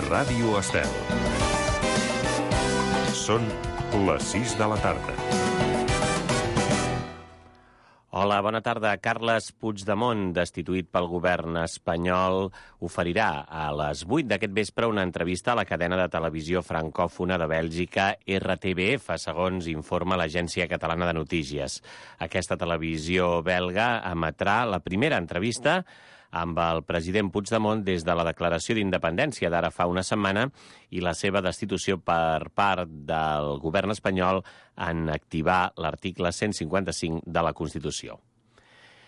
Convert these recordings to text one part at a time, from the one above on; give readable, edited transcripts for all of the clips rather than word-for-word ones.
Ràdio Estel. Són les 6 de la tarda. Hola, bona tarda. Carles Puigdemont, destituït pel govern espanyol, oferirà a les 8 d'aquest vespre una entrevista a la cadena de televisió francòfona de Bèlgica RTBF, segons informa l'Agència Catalana de Notícies. Aquesta televisió belga emetrà la primera entrevista amb el president Puigdemont des de la declaració d'independència d'ara fa una setmana i la seva destitució per part del govern espanyol en activar l'article 155 de la Constitució.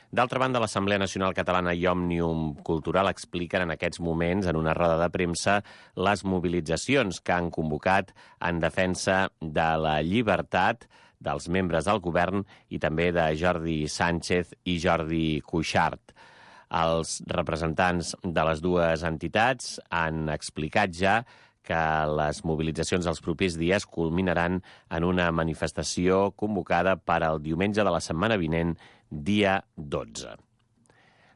D'altra banda, l'Assemblea Nacional Catalana i Òmnium Cultural expliquen en aquests moments, en una roda de premsa, les mobilitzacions que han convocat en defensa de la llibertat dels membres del govern i també de Jordi Sànchez i Jordi Cuixart. Els representants de les dues entitats han explicat ja que les mobilitzacions dels propers dies culminaran en una manifestació convocada per al diumenge de la setmana vinent, dia 12.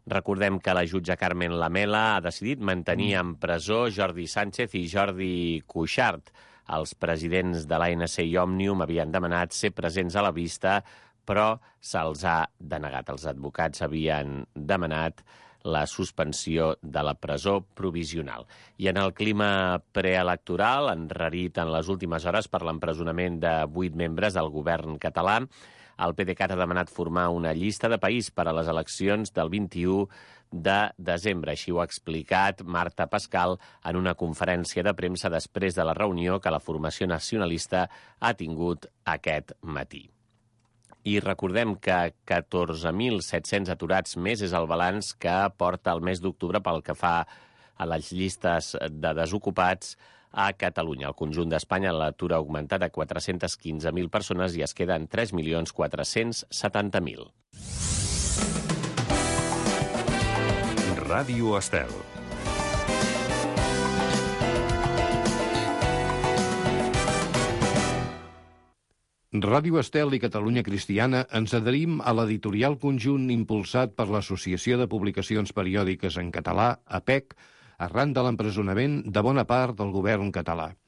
Recordem que la jutge Carmen Lamela ha decidit mantenir en presó Jordi Sànchez i Jordi Cuixart. Els presidents de l'ANC i Òmnium havien demanat ser presents a la vista, però se'ls ha denegat. Els advocats havien demanat la suspensió de la presó provisional. I en el clima preelectoral, enrarit en les últimes hores per l'empresonament de 8 membres del govern català, el PDeCAT ha demanat formar una llista de país per a les eleccions del 21 de desembre. Així ho ha explicat Marta Pascal en una conferència de premsa després de la reunió que la formació nacionalista ha tingut aquest matí. I recordem que 14.700 aturats més és el balanç que porta el mes d'octubre pel que fa a les llistes de desocupats a Catalunya. Al conjunt d'Espanya l'atur ha augmentat a 415.000 persones i es queden 3.470.000. Ràdio Estel. Ràdio Estel i Catalunya Cristiana ens adherim a l'editorial conjunt impulsat per l'Associació de Publicacions Periòdiques en Català, APEC, arran de l'empresonament de bona part del govern català.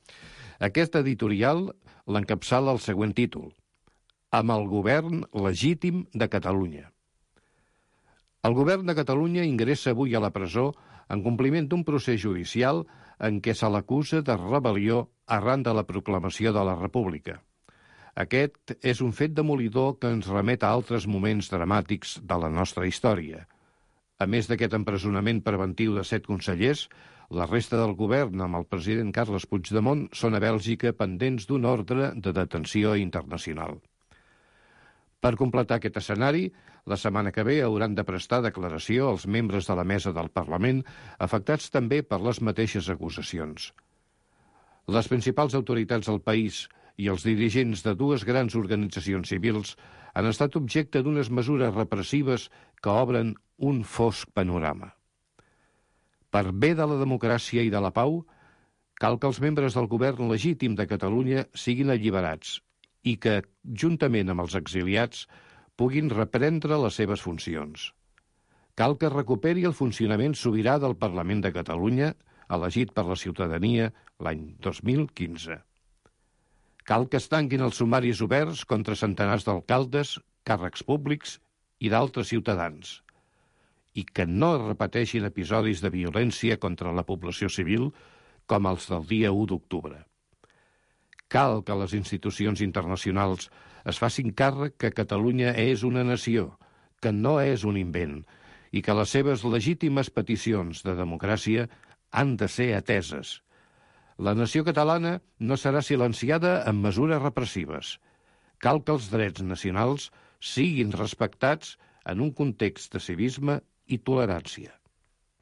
Aquest editorial l'encapçala el següent títol: Amb el govern legítim de Catalunya. El govern de Catalunya ingressa avui a la presó en compliment d'un procés judicial en què se l'acusa de rebel·lió arran de la proclamació de la República. Aquest és un fet demolidor que ens remet a altres moments dramàtics de la nostra història. A més d'aquest empresonament preventiu de 7 consellers, la resta del govern amb el president Carles Puigdemont són a Bèlgica pendents d'un ordre de detenció internacional. Per completar aquest escenari, la setmana que ve hauran de prestar declaració els membres de la mesa del Parlament, afectats també per les mateixes acusacions. Les principals autoritats del país i els dirigents de dues grans organitzacions civils han estat objecte d'unes mesures repressives que obren un fosc panorama. Per bé de la democràcia i de la pau, cal que els membres del govern legítim de Catalunya siguin alliberats i que, juntament amb els exiliats, puguin reprendre les seves funcions. Cal que recuperi el funcionament sobirà del Parlament de Catalunya, elegit per la ciutadania l'any 2015. Cal que es tanquin els sumaris oberts contra centenars d'alcaldes, càrrecs públics i d'altres ciutadans, i que no es repeteixin episodis de violència contra la població civil com els del dia 1 d'octubre. Cal que les institucions internacionals es facin càrrec que Catalunya és una nació, que no és un invent, i que les seves legítimes peticions de democràcia han de ser ateses. La nació catalana no serà silenciada amb mesures repressives. Cal que els drets nacionals siguin respectats en un context de civisme i tolerància.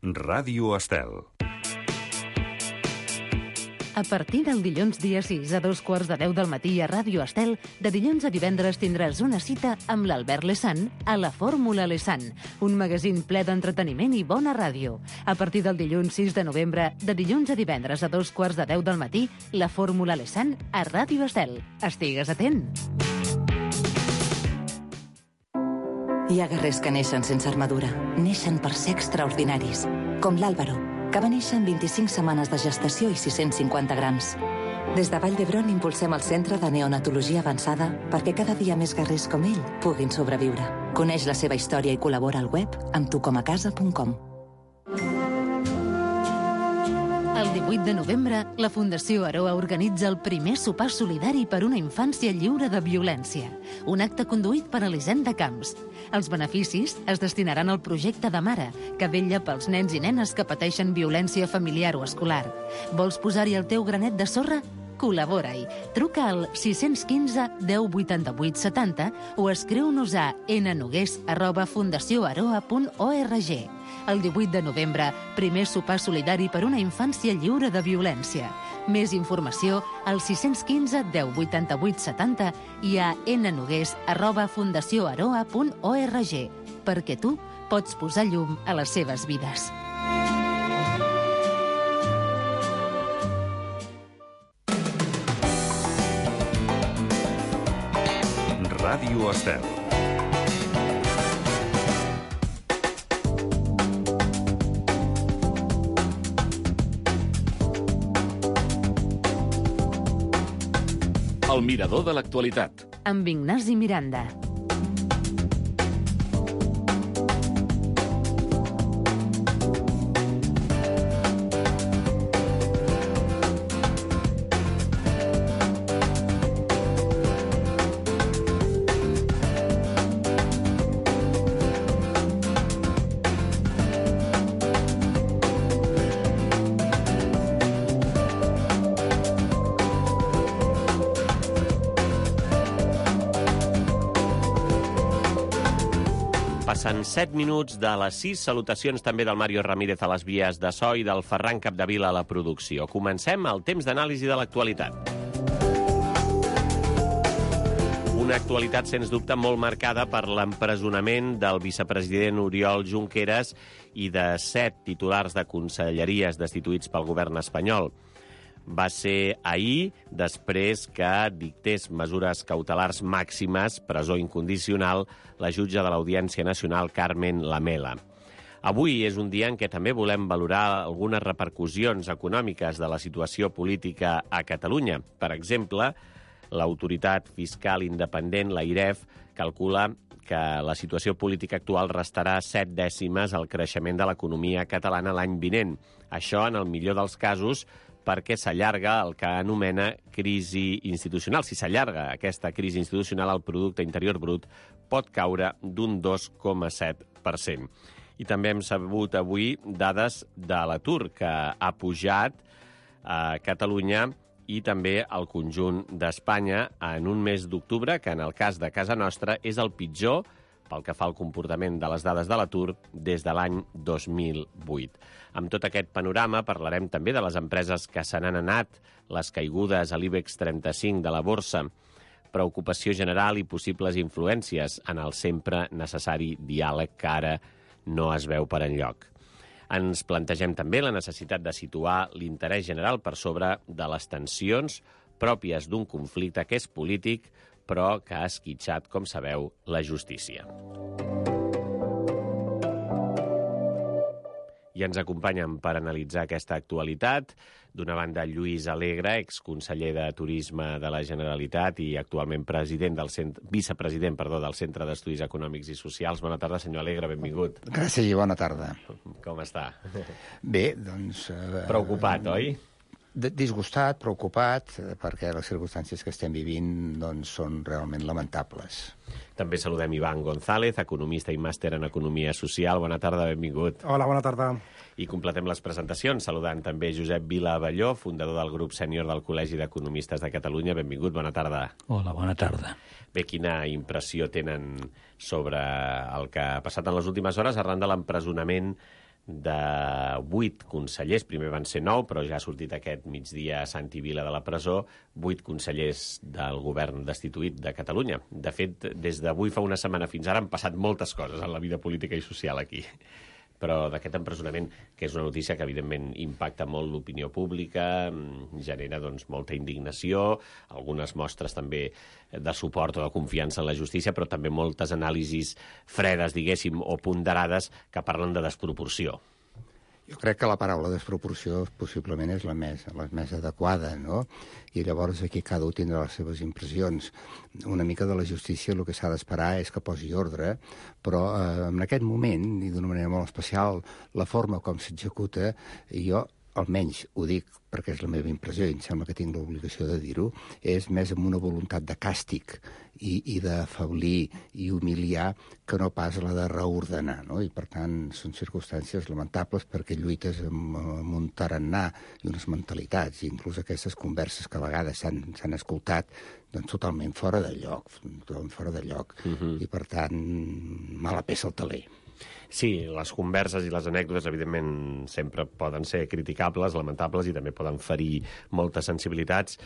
Ràdio Estel. A partir del dilluns dia 6 a 2:15 del matí a Ràdio Estel, de dilluns a divendres tindràs una cita amb l'Albert Lesan a la Fórmula Lesan, un magazín ple d'entreteniment i bona ràdio. A partir del dilluns 6 de novembre, de dilluns a divendres a 2:15 del matí, la Fórmula Lesan a Ràdio Estel. Estigues atent! Hi ha guerrers que neixen sense armadura, neixen per ser extraordinaris, com l'Àlvaro, que va néixer en 25 setmanes de gestació i 650 grams. Des de Vall d'Hebron impulsem el Centre de Neonatologia Avançada perquè cada dia més guerrers com ell puguin sobreviure. Coneix la seva història i col·labora al web amb tucomacasa.com. El 18 de novembre, la Fundació Aroa organitza el primer sopar solidari per una infància lliure de violència. Un acte conduït per Elisenda Camps. Els beneficis es destinaran al projecte de Mare, que vetlla pels nens i nenes que pateixen violència familiar o escolar. Vols posar-hi el teu granet de sorra? Col·labora-hi. Truca al 615 10 88 70 o escriu-nos a nnogués@fundacioaroa.org. El 18 de novembre, primer sopar solidari per una infància lliure de violència. Més informació al 615 10 88 70 i a nnogués@fundacioaroa.org, perquè tu pots posar llum a les seves vides. Ràdio Estel. El mirador de l'actualitat. Amb Ignasi Miranda. Passen 7 minuts de les 6. Salutacions també del Mario Ramírez a les vies de so i del Ferran Capdevila a la producció. Comencem el temps d'anàlisi de l'actualitat. Una actualitat, sens dubte, molt marcada per l'empresonament del vicepresident Oriol Junqueras i de 7 titulars de conselleries destituïts pel govern espanyol. Va ser ahir, després que dictés mesures cautelars màximes, presó incondicional, la jutge de l'Audiència Nacional, Carmen Lamela. Avui és un dia en què també volem valorar algunes repercussions econòmiques de la situació política a Catalunya. Per exemple, l'autoritat fiscal independent, l'AIREF, calcula que la situació política actual restarà 7 dècimes al creixement de l'economia catalana l'any vinent. Això, en el millor dels casos, perquè s'allarga el que anomena crisi institucional. Si s'allarga aquesta crisi institucional, el producte interior brut pot caure d'un 2,7%. I també hem sabut avui dades de l'atur, que ha pujat a Catalunya i també al conjunt d'Espanya en un mes d'octubre, que en el cas de casa nostra és el pitjor pel que fa al comportament de les dades de l'atur des de l'any 2008. Amb tot aquest panorama parlarem també de les empreses que se n'han anat, les caigudes a l'IBEX 35 de la borsa, preocupació general i possibles influències en el sempre necessari diàleg que ara no es veu per enlloc. Ens plantegem també la necessitat de situar l'interès general per sobre de les tensions pròpies d'un conflicte que és polític, però que ha esquitxat, com sabeu, la justícia. I ens acompanyen per analitzar aquesta actualitat, d'una banda Lluís Alegre, exconseller de Turisme de la Generalitat i actualment vicepresident del Centre d'Estudis Econòmics i Socials. Bona tarda, senyor Alegre, benvingut. Gràcies i bona tarda. Com està? Bé, doncs... Preocupat, oi? Disgustat, preocupat, perquè les circumstàncies que estem vivint doncs, són realment lamentables. També saludem Ivan González, economista i màster en Economia Social. Bona tarda, benvingut. Hola, bona tarda. I completem les presentacions saludant també Josep Vila Abelló, fundador del grup sènior del Col·legi d'Economistes de Catalunya. Benvingut, bona tarda. Hola, bona tarda. Bé, quina impressió tenen sobre el que ha passat en les últimes hores arran de l'empresonament de 8 consellers, primer van ser 9, però ja ha sortit aquest migdia a Santi Vila de la presó, 8 consellers del govern destituït de Catalunya. De fet, des d'avui fa una setmana fins ara han passat moltes coses en la vida política i social aquí. Però d'aquest empresonament, que és una notícia que evidentment impacta molt l'opinió pública, genera doncs, molta indignació, algunes mostres també de suport o de confiança en la justícia, però també moltes anàlisis fredes, diguéssim, o ponderades que parlen de desproporció. Jo crec que la paraula desproporció possiblement és la més adequada, no? I llavors aquí cada un tindrà les seves impressions. Una mica de la justícia el que s'ha d'esperar és que posi ordre, però en aquest moment, i d'una manera molt especial, la forma com s'executa, jo almenys ho dic perquè és la meva impressió i em sembla que tinc l'obligació de dir-ho, és més amb una voluntat de càstig i d'afablir i humiliar que no pas la de reordenar, no? I per tant són circumstàncies lamentables perquè lluites amb un tarannà i unes mentalitats, i inclús aquestes converses que a vegades s'han escoltat doncs totalment fora de lloc, i per tant mala peça al taler. Sí, les converses i les anècdotes, evidentment, sempre poden ser criticables, lamentables, i també poden ferir moltes sensibilitats.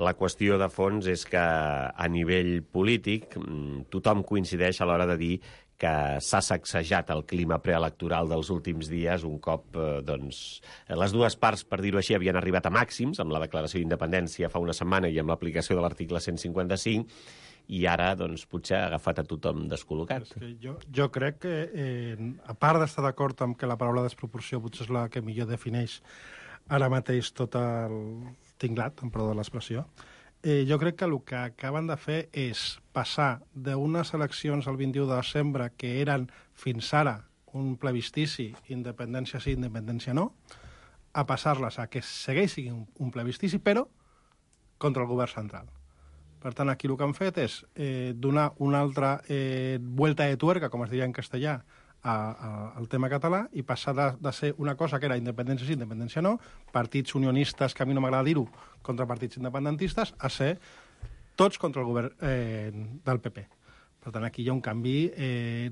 La qüestió de fons és que, a nivell polític, tothom coincideix a l'hora de dir que s'ha sacsejat el clima preelectoral dels últims dies un cop les dues parts, per dir-ho així, havien arribat a màxims, amb la declaració d'independència fa una setmana i amb l'aplicació de l'article 155, i ara, doncs, potser ha agafat a tothom descol·locat. És que jo crec que, a part d'estar d'acord amb que la paraula desproporció potser és la que millor defineix ara mateix tot el tinglat, en perdó de l'expressió, jo crec que el que acaben de fer és passar d'unes eleccions el 21 de desembre que eren fins ara un plebiscici, independència sí, independència no, a passar-les a que segueix sent un plebiscici, però contra el govern central. Per tant, aquí el que han fet és donar una altra vuelta de tuerca, com es diria en castellà, al tema català, i passar de ser una cosa que era independència sí, independència no, partits unionistes, que a mi no m'agrada dir-ho, contra partits independentistes, a ser tots contra el govern del PP. Per tant, aquí hi ha un canvi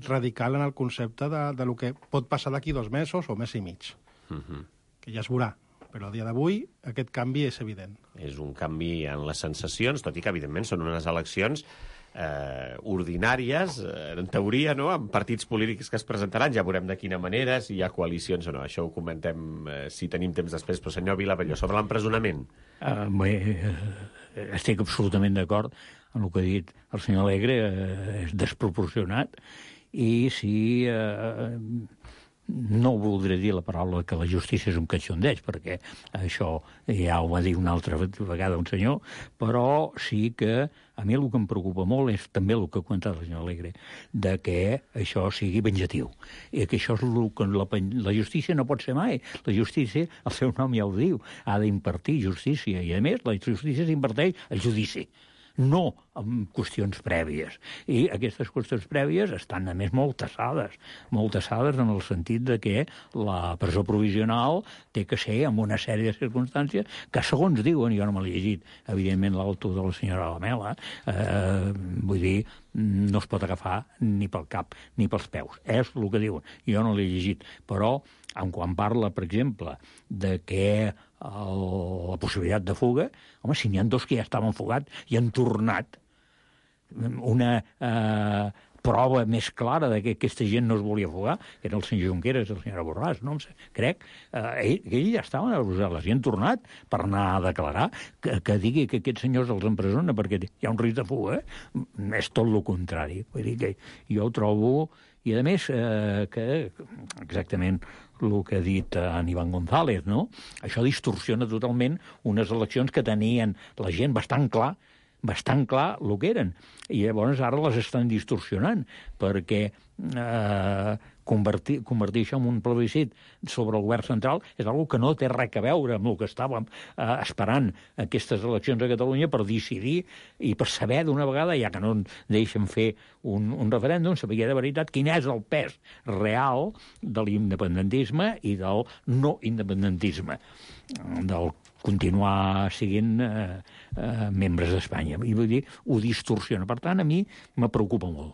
radical en el concepte de lo que pot passar d'aquí 2 mesos o mes i mig, que ja es veurà. Però a dia d'avui aquest canvi és evident. És un canvi en les sensacions, tot i que, evidentment, són unes eleccions ordinàries, en teoria, no?, amb partits polítics que es presentaran. Ja veurem de quina manera, si hi ha coalicions o no. Això ho comentem si tenim temps després. Però, senyor Vilabelló, sobre l'empresonament. Estic absolutament d'acord amb el que ha dit el senyor Alegre. És desproporcionat. I si... no voldré dir la paraula que la justícia és un catxondeig, perquè això ja ho va dir una altra vegada un senyor, però sí que a mi el que em preocupa molt és també el que ha comentat el senyor Alegre, de que això sigui venjatiu. I que això és el que la justícia no pot ser mai. La justícia, el seu nom ja ho diu, ha d'impartir justícia, i a més la justícia s'imparteix al judici, no amb qüestions prèvies. I aquestes qüestions prèvies estan, a més, molt tassades en el sentit de que la presó provisional té que ser amb una sèrie de circumstàncies que, segons diuen, jo no me l'he llegit, evidentment, l'autor de la senyora Lamela, vull dir, no es pot agafar ni pel cap ni pels peus. És el que diuen. Jo no l'he llegit. Però, quan parla, per exemple, de que la possibilitat de fuga, home, si n'hi ha 2 que ja estaven fugats i han tornat, una prova més clara de que aquesta gent no es volia fugar, que era el senyor Junqueras i la senyora Borràs, no? Crec, ells ja estaven a Brussel·les i han tornat per anar a declarar, que digui que aquests senyors els empresona perquè hi ha un risc de fuga, és tot el contrari. Vull dir que jo ho trobo... I, a més, que exactament el que ha dit en Iván González, no? Això distorsiona totalment unes eleccions que tenien la gent bastant clar el que eren. I llavors ara les estan distorsionant, perquè convertir això en un plebiscit sobre el govern central és una que no té res a veure amb el que estàvem esperant aquestes eleccions a Catalunya per decidir i per saber d'una vegada, ja que no deixen fer un referèndum, saber de veritat quin és el pes real de l'independentisme i del no independentisme, del continuar siguent membres d'Espanya. I vull dir, ho distorsiona. Per tant, a mi me preocupa molt.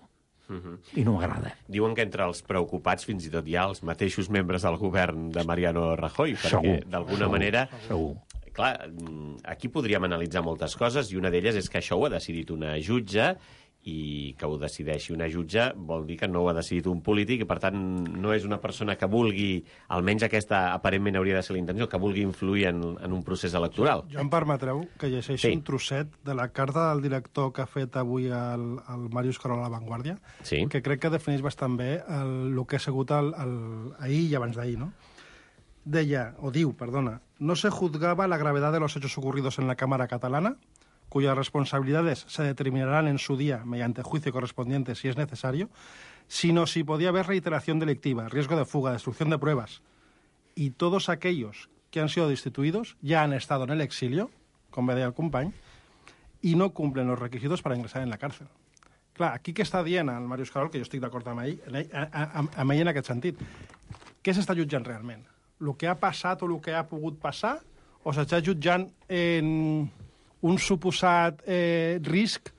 I no m'agrada. Diuen que entre els preocupats fins i tot hi ha els mateixos membres del govern de Mariano Rajoy, perquè d'alguna manera... Segur. Clar, aquí podríem analitzar moltes coses i una d'elles és que això ho ha decidit una jutge i que ho decideixi una jutge vol dir que no ho ha decidit un polític i, per tant, no és una persona que vulgui, almenys aquesta aparentment hauria de ser la intenció, que vulgui influir en un procés electoral. Jo em permetreu que llegeixi un trosset de la carta del director que ha fet avui el Màrius Carola a La Vanguardia, que crec que defineix bastant bé el que ha sigut ahir i abans d'ahir, no? no se juzgaba la gravedad de los hechos ocurridos en la Cámara catalana, cuyas responsabilidades se determinarán en su día mediante juicio correspondiente si es necesario, sino si podía haber reiteración delictiva, riesgo de fuga, destrucción de pruebas. Y todos aquellos que han sido destituïdos ya han estado en el exilio, com bé deia el company, i no cumplen los requisitos para ingresar en la cárcel. Clar, aquí què està dient el Màrius Carol, que jo estic d'acord amb ell en aquest sentit? Què s'està jutjant realment? El que ha passat o el que ha pogut passar, o s'està jutjant en un suposat risc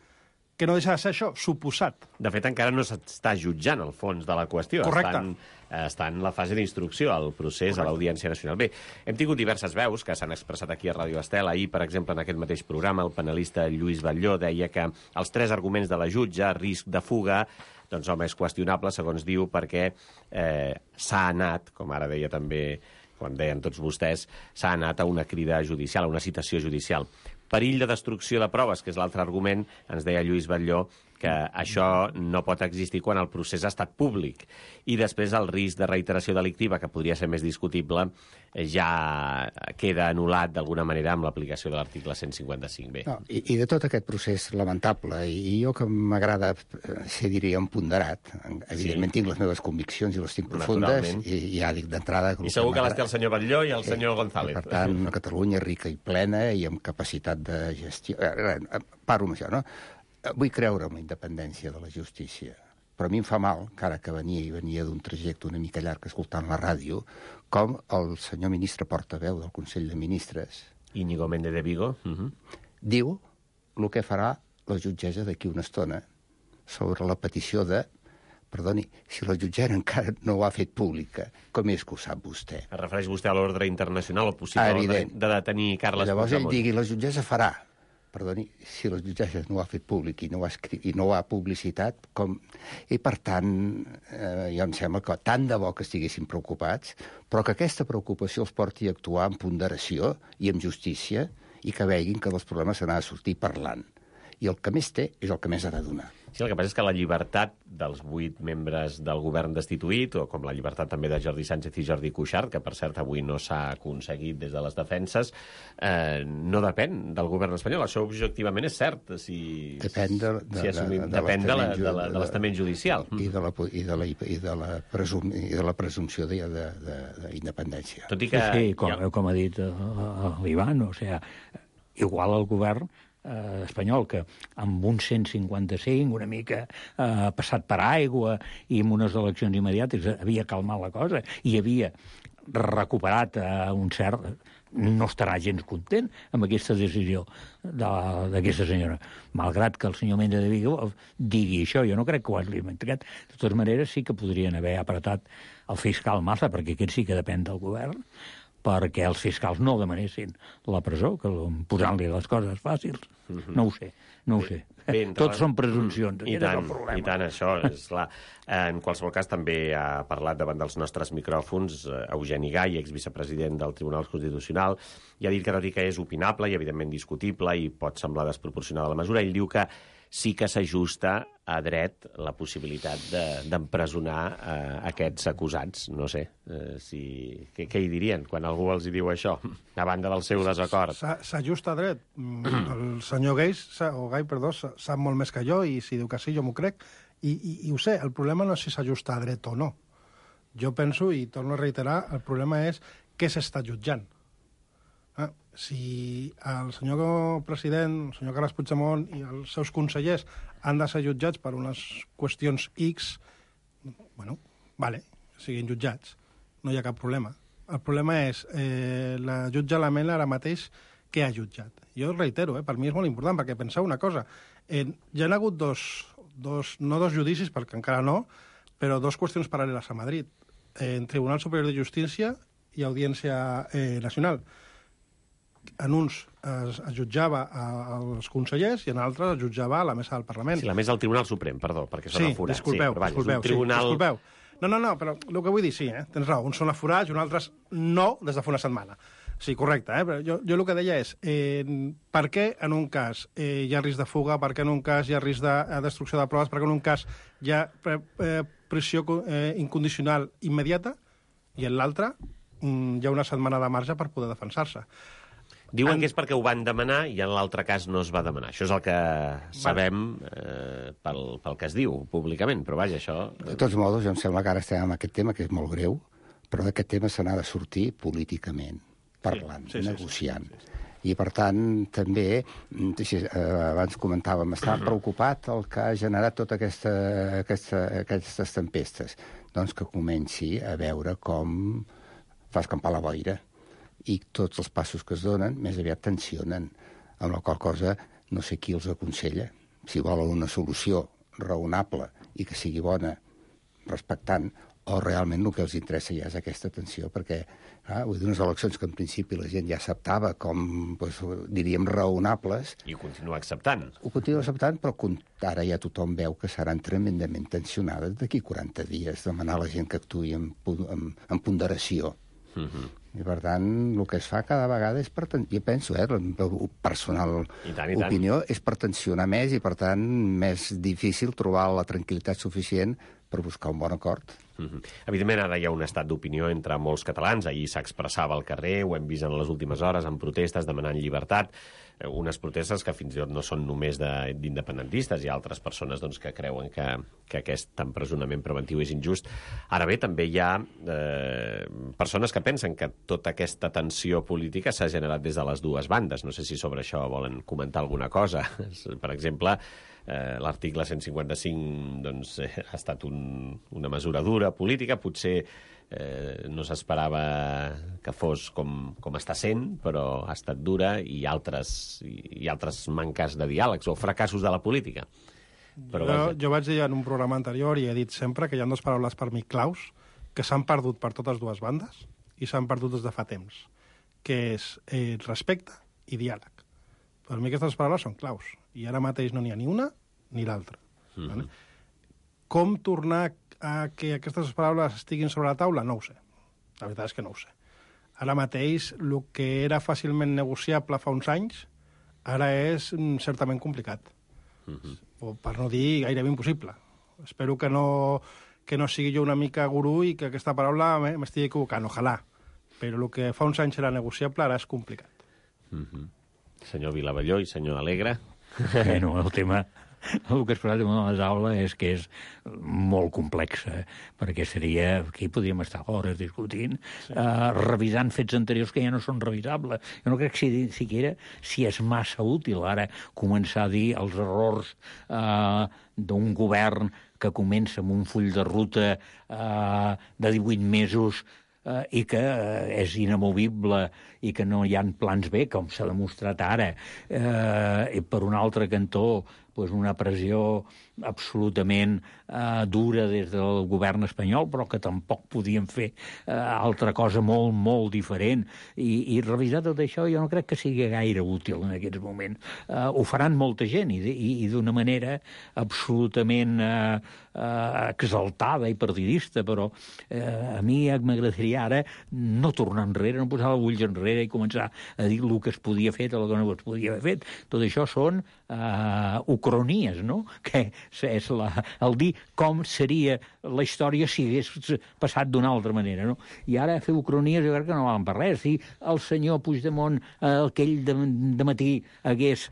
que no deixa de ser això, suposat. De fet, encara no s'està jutjant el fons de la qüestió. Correcte. Està en la fase d'instrucció, el procés. Correcte. A l'Audiència Nacional. Bé, hem tingut diverses veus que s'han expressat aquí a Ràdio Estel. Ahir, per exemple, en aquest mateix programa, el panelista Lluís Batlló deia que els 3 arguments de la jutge, risc de fuga, doncs, home, és qüestionable, segons diu, perquè s'ha anat, com ara deia també, quan deien tots vostès, s'ha anat a una crida judicial, a una citació judicial. Perill de destrucció de proves, que és l'altre argument, ens deia Lluís Batlló, que això no pot existir quan el procés ha estat públic. I després el risc de reiteració delictiva, que podria ser més discutible, ja queda anul·lat d'alguna manera amb l'aplicació de l'article 155B. No, i de tot aquest procés lamentable, i jo que m'agrada ser, diria, emponderat, evidentment tinc les meves conviccions i les tinc profundes, i ja dic d'entrada... I segur que les té el senyor Batlló i el senyor González. Per tant, una Catalunya rica i plena i amb capacitat de gestió... Paro amb això, no? Vull creure en la independència de la justícia, però a mi em fa mal, encara que venia d'un trajecte una mica llarg escoltant la ràdio, com el senyor ministre portaveu del Consell de Ministres... Íñigo Méndez de Vigo. Diu el que farà la jutgessa d'aquí una estona sobre la petició de... Perdoni, si la jutgessa encara no ho ha fet pública, com és que ho sap vostè? Es refereix vostè a l'ordre internacional, o possible ordre de detenir Carles Puigdemont. Llavors ell digui, la jutgessa farà. Perdoni, si la jutgessa no ho ha fet públic i no ho ha publicitat, com... I per tant, jo em sembla que tant de bo que estiguessin preocupats, però que aquesta preocupació els porti a actuar amb ponderació i amb justícia i que veguin que dels problemes se n'ha de sortir parlant. I el que més té és el que més ha de donar. Sí, el que passa és que la llibertat dels 8 membres del govern destituït, o com la llibertat també de Jordi Sánchez i Jordi Cuixart, que per cert avui no s'ha aconseguit des de les defenses, no depèn del govern espanyol. Això objectivament és cert. Depèn de l'estament judicial. I de la presumpció d'independència. Tot i que... Sí, com ha dit l'Ivan, o sigui, igual el govern espanyol, que amb un 155 una mica passat per aigua i amb unes eleccions immediates havia calmat la cosa i havia recuperat un cert... no estarà gens content amb aquesta decisió d'aquesta senyora. Malgrat que el senyor Méndez de Vigo digui això, jo no crec que ho hagi limitat. De totes maneres, sí que podrien haver apretat el fiscal Maza, perquè aquest sí que depèn del govern, perquè els fiscals no demanessin la presó, que posant-li les coses fàcils. No ho sé. Tots són presumpcions. I tant, això és clar. En qualsevol cas, també ha parlat davant dels nostres micròfons Eugeni Gai, exvicepresident del Tribunal Constitucional, i ha dit que tot i que és opinable i evidentment discutible i pot semblar desproporcionada la mesura, ell diu que sí que s'ajusta a dret la possibilitat d'empresonar aquests acusats. No sé, què hi dirien quan algú els hi diu això, a banda del seu desacord? S'ajusta a dret. El senyor Gai sap molt més que jo, i si diu que sí, jo m'ho crec, i ho sé. El problema no és si s'ajusta a dret o no. Jo penso, i torno a reiterar, el problema és què s'està jutjant. Si el senyor president, el senyor Carles Puigdemont i els seus consellers han de ser jutjats per unes qüestions X, bueno, vale, siguin jutjats, no hi ha cap problema. El problema és la jutge Lamela ara mateix què ha jutjat. Jo reitero, per mi és molt important, perquè penseu una cosa, hi ha hagut no dos judicis, perquè encara no, però 2 qüestions paral·leles a Madrid, en Tribunal Superior de Justícia i Audiència Nacional. En uns es jutjava als consellers i en altres es jutjava a la mesa del Parlament. Sí, la mesa del Tribunal Suprem, perdó, perquè són aforats. Disculpeu. No, però el que vull dir, sí, tens raó, uns són aforats i uns altres no des de fa una setmana. Sí, correcte, però jo el que deia és per què en un cas hi ha risc de fuga, per què en un cas hi ha risc de destrucció de proves, per què en un cas hi ha pressió incondicional immediata i en l'altre hi ha una setmana de marge per poder defensar-se. Diuen que és perquè ho van demanar i en l'altre cas no es va demanar. Això és el que sabem pel que es diu públicament, però vaja, això... De tots modos, jo em sembla que ara estem amb aquest tema, que és molt greu, però d'aquest tema se n'ha de sortir políticament, parlant, negociant. I, per tant, també, abans comentàvem, està preocupat el que ha generat totes aquestes tempestes. Doncs que comenci a veure com fa escampar la boira. I tots els passos que es donen més aviat tensionen, amb la qual cosa no sé qui els aconsella. Si volen una solució raonable i que sigui bona, respectant, o realment el que els interessa ja és aquesta tensió, perquè vull dir, unes eleccions que en principi la gent ja acceptava com, diríem, raonables. I ho continua acceptant. Ho continua acceptant, però ara ja tothom veu que seran tremendament tensionades d'aquí 40 dies, demanar a la gent que actuï amb ponderació. I, per tant, el que es fa cada vegada és jo penso, la personal opinió, és per tensionar més i, per tant, més difícil trobar la tranquil·litat suficient per buscar un bon acord. Evidentment, ara hi ha un estat d'opinió entre molts catalans. Ahir s'expressava al carrer, ho hem vist en les últimes hores, en protestes demanant llibertat. Unes protestes que fins i tot no són només d'independentistes. Hi ha altres persones que creuen que aquest empresonament preventiu és injust. Ara bé, també hi ha persones que pensen que tota aquesta tensió política s'ha generat des de les dues bandes. No sé si sobre això volen comentar alguna cosa. Per exemple, l'article 155 ha estat una mesura dura política, potser no s'esperava que fos com està sent, però ha estat dura, i altres manques de diàlegs o fracassos de la política. Jo vaig dir en un programa anterior i he dit sempre que hi ha dues paraules per mi claus que s'han perdut per totes dues bandes i s'han perdut des de fa temps, que és respecte i diàleg. Per mi aquestes paraules són claus i ara mateix no n'hi ha ni una ni l'altra. Com tornar a que aquestes paraules estiguin sobre la taula? No ho sé. La veritat és que no ho sé. Ara mateix, el que era fàcilment negociable fa uns anys, ara és certament complicat. O, per no dir, gairebé impossible. Espero que no sigui jo una mica gurú i que aquesta paraula m'estigui equivocant, ojalà. Però el que fa uns anys era negociable, ara és complicat. Senyor Vilavelló i senyor Alegre. Bueno, el tema... El que es parla damunt de la taula és que és molt complex, perquè seria... Aquí podríem estar hores discutint, revisant fets anteriors que ja no són revisables. Jo no crec si és massa útil ara començar a dir els errors d'un govern que comença amb un full de ruta de 18 mesos i que és inamovible i que no hi ha plans B, com s'ha demostrat ara. I per un altre cantó, una pressió absolutament dura des del govern espanyol, però que tampoc podien fer altra cosa molt, molt diferent. I revisar tot això jo no crec que sigui gaire útil en aquests moments. Ho faran molta gent i d'una manera absolutament exaltada i partidista, però a mi m'agradaria ara no tornar enrere, no posar els ulls enrere i començar a dir el que es podia fer, el que no es podia haver fet. Tot això són ucronies, no? Que és el dir com seria la història si hagués passat d'una altra manera, no? I ara fer ucronies jo crec que no valen per res. Si el senyor Puigdemont aquell de matí hagués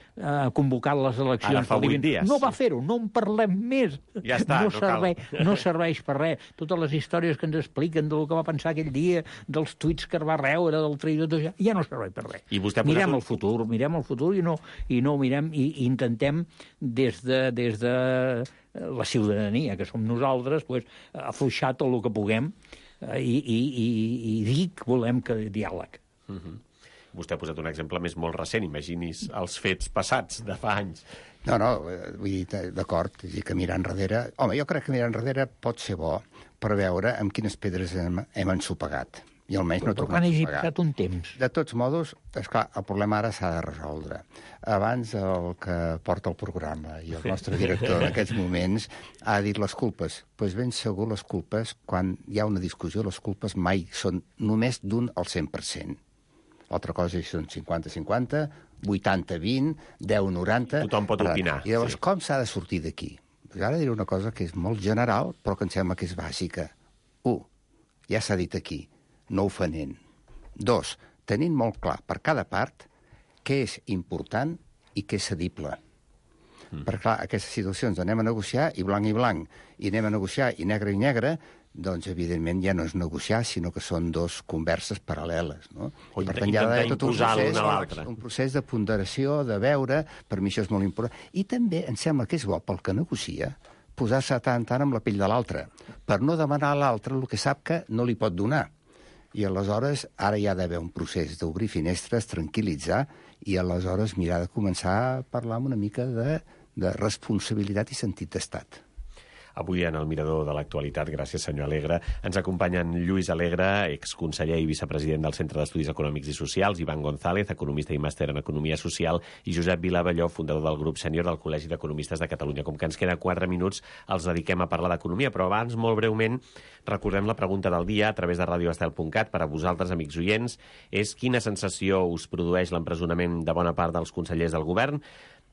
convocat les eleccions... Ara fa 8 dies. No va fer-ho, no en parlem més. Ja està, no serveix per res. Totes les històries que ens expliquen del que va pensar aquell dia, dels tuits que va reure, del traïdor, tot això, ja no serveix per res. Mirem el futur i no mirem i intentem des de la ciutadania, que som nosaltres, afluixar tot el que puguem i dir que volem que diàleg. Vostè ha posat un exemple més molt recent, imagini's els fets passats de fa anys. No, vull dir, d'acord, que mirar enrere... Home, jo crec que mirar enrere pot ser bo per veure amb quines pedres hem ensopegat. I almenys no tornem a ensopegar. Passat un temps. De tots modos, esclar, el problema ara s'ha de resoldre. Abans el que porta el programa i el nostre director en aquests moments ha dit les culpes. Doncs ben segur les culpes, quan hi ha una discussió, les culpes mai són només d'un al 100%. L'altra cosa són 50-50, 80-20, 10-90... Tothom pot opinar. I llavors, com s'ha de sortir d'aquí? Ara diré una cosa que és molt general, però que em sembla que és bàsica. 1. Ja s'ha dit aquí. no ofenent. 2, tenint molt clar per cada part què és important i què és cedible. Perquè, clar, aquestes situacions anem a negociar i blanc, i anem a negociar i negre, doncs, evidentment, ja no és negociar, sinó que són dos converses paral·leles, no? O per tant, hi ha d'haver tot un procés de ponderació, de veure, per mi això és molt important. I també em sembla que és bo pel que negocia posar-se tant amb la pell de l'altre, per no demanar a l'altre el que sap que no li pot donar. I aleshores, ara hi ha d'haver un procés d'obrir finestres, tranquil·litzar, i aleshores mirar de començar a parlar una mica de responsabilitat i sentit d'estat. Avui en el Mirador de l'Actualitat, gràcies senyor Alegre, ens acompanyen Lluís Alegre, exconseller i vicepresident del Centre d'Estudis Econòmics i Socials, Ivan González, economista i màster en Economia Social, i Josep Vilavalló, fundador del grup sènior del Col·legi d'Economistes de Catalunya. Com que ens queda 4 minuts, els dediquem a parlar d'economia, però abans, molt breument, recordem la pregunta del dia a través de radioestel.cat per a vosaltres, amics oients, és quina sensació us produeix l'empresonament de bona part dels consellers del govern?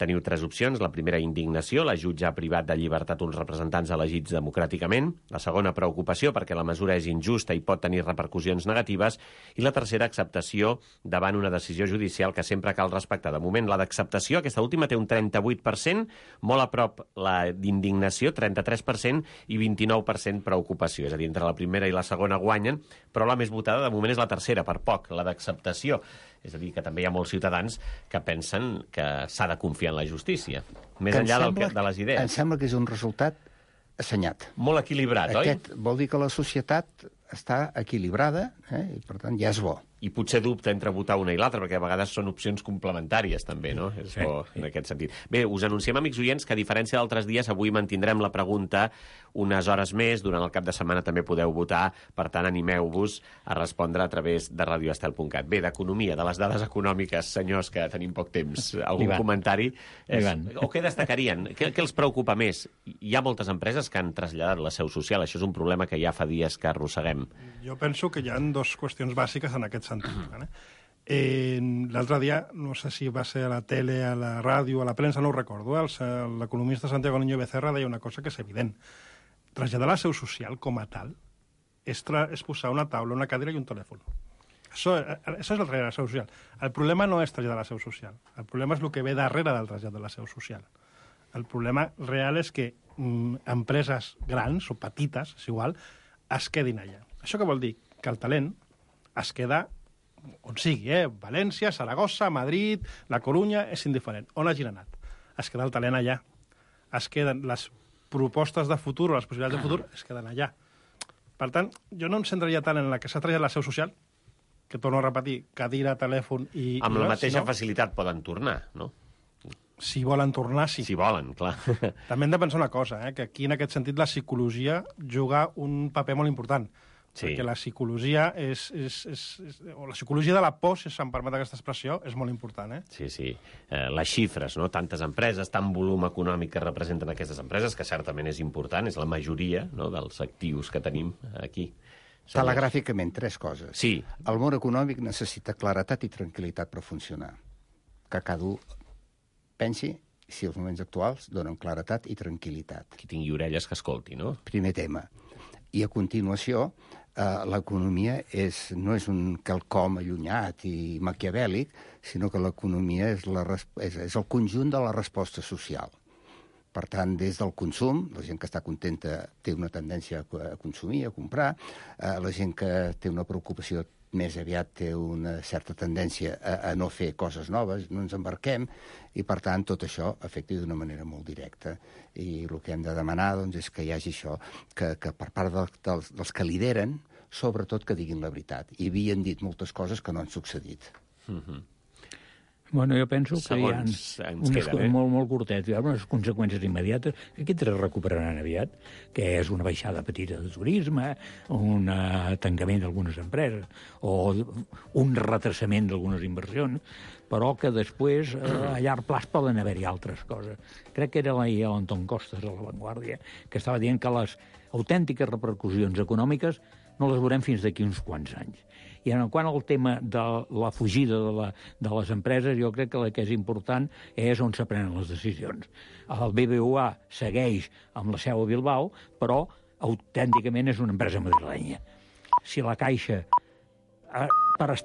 Teniu 3 opcions. La primera, indignació. La jutge ha privat de llibertat uns representants elegits democràticament. La segona, preocupació, perquè la mesura és injusta i pot tenir repercussions negatives. I la tercera, acceptació davant una decisió judicial que sempre cal respectar. De moment, la d'acceptació, aquesta última, té un 38%, molt a prop la d'indignació, 33%, i 29% preocupació. És a dir, entre la primera i la segona guanyen, però la més votada, de moment, és la tercera, per poc, la d'acceptació. És a dir, que també hi ha molts ciutadans que pensen que s'ha de confiar en la justícia, més enllà de les idees. Em sembla que és un resultat assenyat. Molt equilibrat, oi? Aquest vol dir que la societat està equilibrada, i per tant ja és bo. I potser dubta entre votar una i l'altra, perquè a vegades són opcions complementàries, també, no? És bo en aquest sentit. Bé, us anunciem, amics oients, que a diferència d'altres dies, avui mantindrem la pregunta unes hores més. Durant el cap de setmana també podeu votar, per tant, animeu-vos a respondre a través de radioestel.cat. Bé, d'economia, de les dades econòmiques, senyors, que tenim poc temps, algun comentari? O què destacarien? Què els preocupa més? Hi ha moltes empreses que han traslladat la seu social. Això és un problema que ja fa dies que arrosseguem. Jo penso que hi ha 2 qüestions bàsiques en aquest sentit. L'altre dia, no sé si va ser a la tele, a la ràdio, a la premsa, no ho recordo, l'economista Santiago Niño Becerra deia una cosa que és evident. Traslladar la seu social com a tal és posar una taula, una cadira i un telèfon. Això és el trasllat de la seu social. El problema no és traslladar la seu social. El problema és el que ve darrere del trasllat de la seu social. El problema real és que empreses grans o petites, és igual, es quedin allà. Això què vol dir? Que el talent es queda on sigui, València, Saragossa, Madrid, La Corunya, és indiferent. On hagin anat? Es queda el talent allà. Es queden les propostes de futur o les possibilitats de futur, es queden allà. Per tant, jo no em centraria tant en la que s'ha traslladat la seu social, que torno a repetir, cadira, telèfon i... Amb la mateixa facilitat poden tornar, no? Si volen tornar, sí. Si volen, clar. També hem de pensar una cosa, que aquí, en aquest sentit, la psicologia juga un paper molt important. Sí. Perquè la psicologia o la psicologia de la por, si se'm permet aquesta expressió, és molt important. Sí. Les xifres, no? Tantes empreses, tant volum econòmic que representen aquestes empreses, que certament és important, és la majoria, no?, dels actius que tenim aquí. Telegràficament, 3 coses. Sí. El món econòmic necessita claretat i tranquil·litat per funcionar. Que cada un pensi si els moments actuals donen claretat i tranquil·litat. Qui tingui orelles que escolti, no? Primer tema. I a continuació, l'economia no és un quelcom allunyat i maquiavèlic, sinó que l'economia és el conjunt de la resposta social. Per tant, des del consum, la gent que està contenta té una tendència a consumir, a comprar, la gent que té una preocupació més aviat té una certa tendència a no fer coses noves, no ens embarquem, i per tant tot això afecta d'una manera molt directa. I el que hem de demanar doncs, és que hi hagi això, que per part dels que lideren, sobretot que diguin la veritat. I havien dit moltes coses que no han succeït. Bueno, jo penso que hi ha unes molt curtet, hi ha unes conseqüències immediates que aquestes es recuperaran aviat, que és una baixada petita de turisme, un tancament d'algunes empreses, o un retrasament d'algunes inversions, però que després a llarg plaç poden haver-hi altres coses. Crec que era l'Anton Costas a La Vanguardia, que estava dient que les autèntiques repercussions econòmiques no les veurem fins d'aquí uns quants anys. I en quant al tema de la fugida de les empreses, jo crec que el que és important és on se prenen les decisions. El BBVA segueix amb la seu a Bilbao, però autènticament és una empresa madrilenya. Si la Caixa per estar